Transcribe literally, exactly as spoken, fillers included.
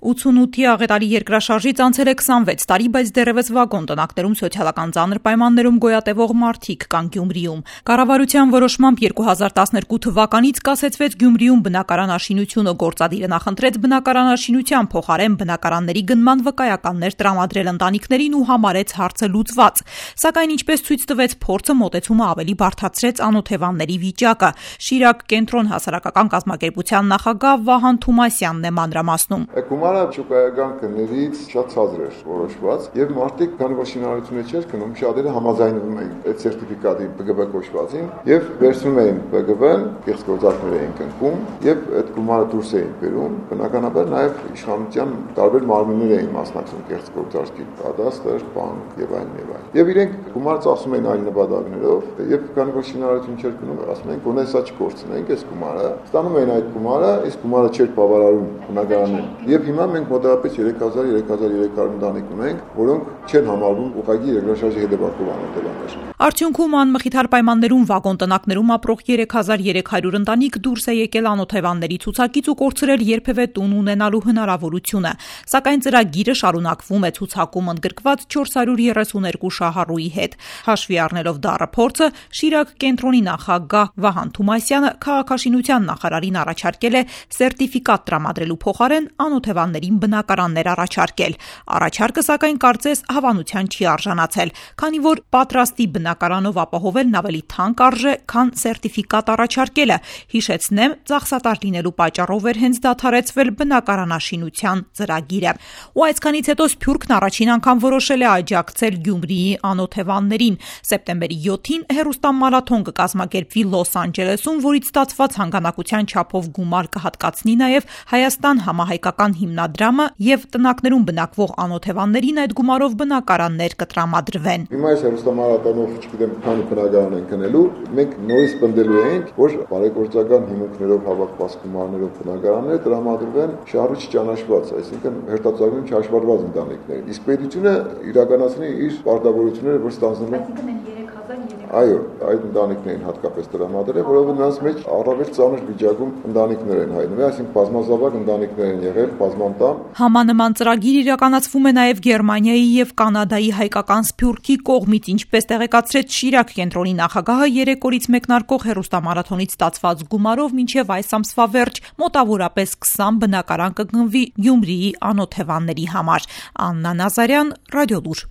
ութսունութի աղետալի երկրաշարժից անցել է քսանվեց տարի, բայց դեռևս վագոն տնակներում սոցիալական ծանր պայմաններում գոյատևող մարդիկ կան Գյումրիում։ Կառավարության որոշմամբ երկու հազար տասներկու թվականից կասեցվեց Գյումրիում բնակարանաշինությունը, գործադիրը նախընտրեց բնակարանաշինության փոխարեն բնակարանների գնման վկայականներ տրամադրել ընտանիքներին ու համարեց հարցը լուծված։ Սակայն ինչպես ցույց տվեց փորձը, մոտեցումը ավելի բարդացրեց անօթևանների վիճակը։ Շիրակ կենտրոն հասարակական կազմակերպության նախագահ Վահան Թումասյանն է մանրամասնում։ Շուկայական գներից շատ ցածր էր որոշված եւ մարդիկ քանի որ շինարարությունը չէր գնում, շատերը համաձայնվում էին այդ սերտիֆիկատի Պ Գ Վ կոչվածին եւ վերցնում էին Պ Գ Վ-ն, կեղծգործարքներ էին կնքում եւ այդ գումարը դուրս էին բերում։ Բնականաբար նաեւ իշխանության տարբեր մարմիններ էին մասնակցում կեղծգործարքի պատասխան, բանկ եւ այլն եւ այլն։ Եվ իրենք գումարը ծախսում էին այլ նպատակներով եւ քանի որ շինարարություն չէր գնում, ասում էին գոնե սա չկորցնենք այս գումարը, ստանում էին այդ գումարը, իսկ գումարը չէր բավարարում բնակարանին։ Եվ հիմա մենք մոտավորապես երեք հազար երեք հազար երեք հարյուր ընտանիք ունենք, որոնք չեն համարվում ուղղակի երկրաշարժի հետևանքով անօթևաններ։ Արդյունքում անմխիթար պայմաններում վագոն տնակներում ապրող երեք հազար երեք հարյուր ընտանիք դուրս է եկել անօթևանների ցուցակից ու կորցրել երբևէ տուն ունենալու հնարավորությունը։ Սակայն ծրագիրը շարունակվում է ցուցակում ընդգրկված չորս հարյուր երեսուն երկու շահառուի հետ։ Հաշվի առնելով դառը փորձը, Շիրակ կենտրոնի նախագահ Վահան Թումասյանը քաղաքաշինության նախարարին առաջարկել է սերտիֆիկատ տրամադրելու փոխարեն անօթևաններին բնակարաններ առաջարկել։ Առաջարկը սակայն կարծես հավանության չի արժանացել, քանի որ պատրաստի բնակարանով ապահովելն ավելի թանկ արժե, քան սերտիֆիկատ առաջարկելը։ Հիշեցնեմ, ծախսատար լինելու պատճառով էր հենց դադարեցվել բնակարանաշինության ծրագիրը։ Ու այսքանից հետո Սփյուռքն առաջին անգամ որոշել է աջակցել Գյումրիի անօթևաններին։ Սեպտեմբերի յոթին հեռուստամարաթոն կկազմակերպվի Լոս Անջելեսում, որից ստացված հանգանակության չափով գումար կհատկացնի նաև Հայաստան համահայկական հիմնադրամը եւ տնակներում բնակվող անօթևաններին այդ գումարով բնակարաններ կտրամադրվեն։ Հիմա այս հեռուստամարաթոնով, չգիտեմ, քանի բնակարան են գնելու, մենք նորից պնդելու ենք, որ բարեգործական հիմունքներով հավաքված գումարներով բնակարաններ տրամադրվեն շահառու չճանաչված, այսինքն հերթացակում չհաշվառված ընտանիքներին։ Իսկ պետությունը իրականացնի իր պարտավորությունները, որ ստանձնելու Այո, այդ ընտանիքներին հատկապես տրամադրել, որովհետև նրանց մեջ առավել ծանր վիճակում ընտանիքներ են հայտնվել, այսինքն բազմազավակ ընտանիքներ են եղել, բազմանդամ։ Համանման ծրագիր իրականացվում է նաև Գերմանիայի եւ Կանադայի հայկական Սփյուռքի կողմից, ինչպես տեղեկացրեց Շիրակ կենտրոնի նախագահը, երեք օրից մեկնարկող հեռուստամարաթոնից ստացված գումարով մինչև այս ամսվա վերջ մոտավորապես քսան բնակարան կգնվի Գյումրիի անօթևանների համար։ Աննա Նազարյան, Ռադիոլուր։